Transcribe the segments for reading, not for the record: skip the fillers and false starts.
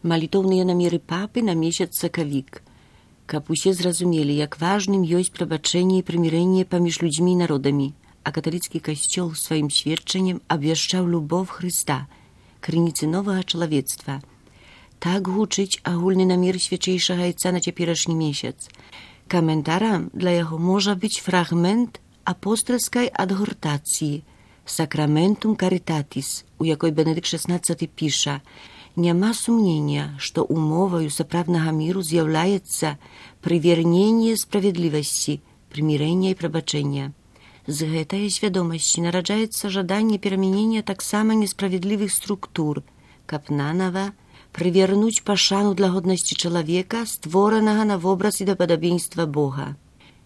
Малітоўныя намеры папы на месяц сакавік, каб усе зразумелі, як важным ёсць прабачэнне і прымірэнне паміж людзьмі і народамі, а каталіцкі касцёл сваім сведчаннем абвяшчаў любоў Хрыста, крыніцы новага чалавецтва. Так гучыць агульны намер свячэйшага айца на цяперашні месяц. Каментарам для яго можа быць фрагмент апостальскай адгортацыі «Сакраментум каритатис», у якой Бенедыкт XVI піша: «Няма сумнення, што умоваю сапраўднага міру з'яўляецца прыверненне справядлівасці, прымірэння і прабачэння. З гэтай свядомасці нараджаецца жаданне перамянення таксама несправядлівых структур, каб нанава прывернуць пашану для годнасці чалавека, створанага на вобраз і да падабенства Бога.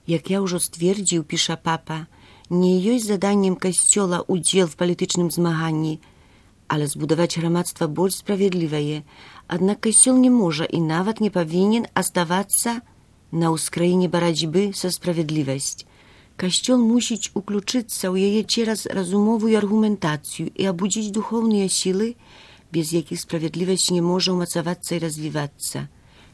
Як я ўжо сцвердзіў, піша папа, не ёсць заданнем касцёла удзел в палітычным змаганні, але збудаваць грамадства больш справядлівае. Аднак касцёл не можа і нават не павінен аставацца на ўскраіне барацьбы са справядлівасць. Касцёл мусіць уключыцца ў яе цераз разумовую аргументацыю і абудзіць духоўныя сілы, без якіх справядлівасць не можа ўмацавацца і развівацца.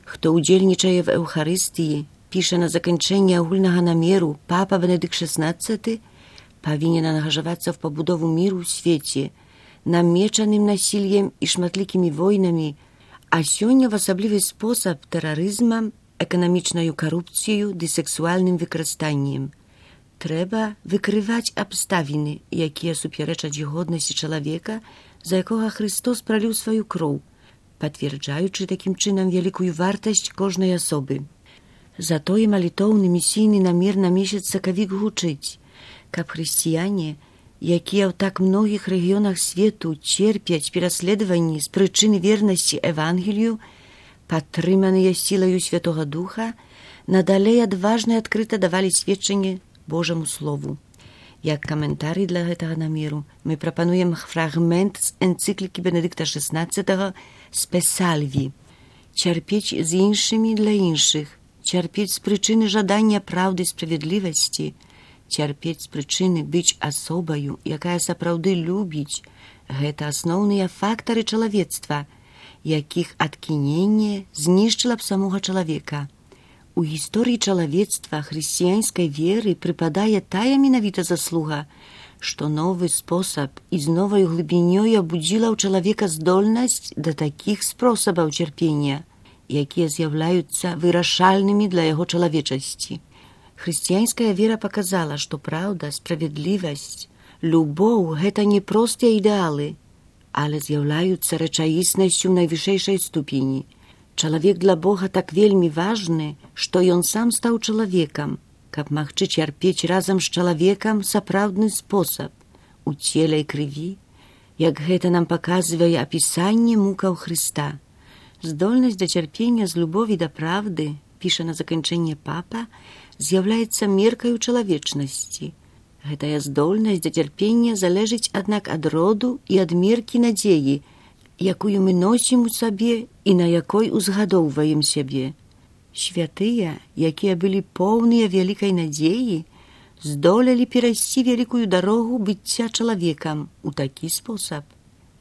Хто ўдзельнічае в Эўхарыстыі, піша на заканчэнне агульнага намеру папа Бенедыкт XVI, павінен ангажавацца в пабудову міру ў свеце, намечаным насіллем і шматлікімі войнамі, а сёння в асаблівы спосаб тэрарызмам, эканамічнаю карупцыяю ды сексуальным выкарыстаннем. Трэба выкрываць абставіны, якія супярэчаць годнасці чалавека, за якога Христос праліў сваю кроў, пацвярджаючы такім чынам вялікую вартасць кожнай асобы. Затое малітоўны місійны намер на месяц сакавік гучыць, каб хрысціяне, якія ў так многіх рэгіёнах свету церпяць пераследаванні з прычыны вернасці Евангелію, падтрыманыя сілаю Святога Духа, надалей адважна і адкрыта давалі сведчанне Божаму Слову. Як каментарый для гэтага намеру мы прапануем фрагмент з энцыклікі Бенедыкта XVI «Spe salvi» – «Цярпець з іншымі для іншых», цярпець з прычыны жадання праўды і справядлівасці, цярпець з прычыны быць асобаю, якая сапраўды любіць. Гэта асноўныя фактары чалавецтва, якіх адкіненне знішчыла б самога чалавека. У гісторыі чалавецтва хрысціянскай веры прыпадае тая менавіта заслуга, што новы спосаб і з новай глыбінёй абудзіла ў чалавека здольнасць да такіх спосабаў цярпення, якія з'яўляюцца вырашальнымі для яго чалавечасці. Хрысціянская вера паказала, што праўда, справядлівасць, любоў – гэта не простыя ідэалы, але з'яўляюцца рэчаіснасцю ў найвышэйшай ступені. Чалавек для Бога так вельмі важны, што ён сам стаў чалавекам, каб магчы цярпець разам з чалавекам сапраўдны спосаб, у целе і крыві, як гэта нам паказвае апісанне мукаў Хрыста. Здольнасць да цярпення з любові да правды, піша на заканчэнне папа, з'яўляецца меркаю чалавечнасці. Гэтая здольнасць да цярпення залежыць, аднак, ад роду і ад меркі надзеі, якую мы носім у сабе і на якой узгадоўваем сябе. Святыя, якія былі поўныя вялікай надзеі, здолелі перайсці вялікую дарогу быцця чалавекам у такі спосаб,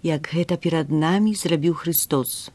як гэта перад намі зрабіў Христос.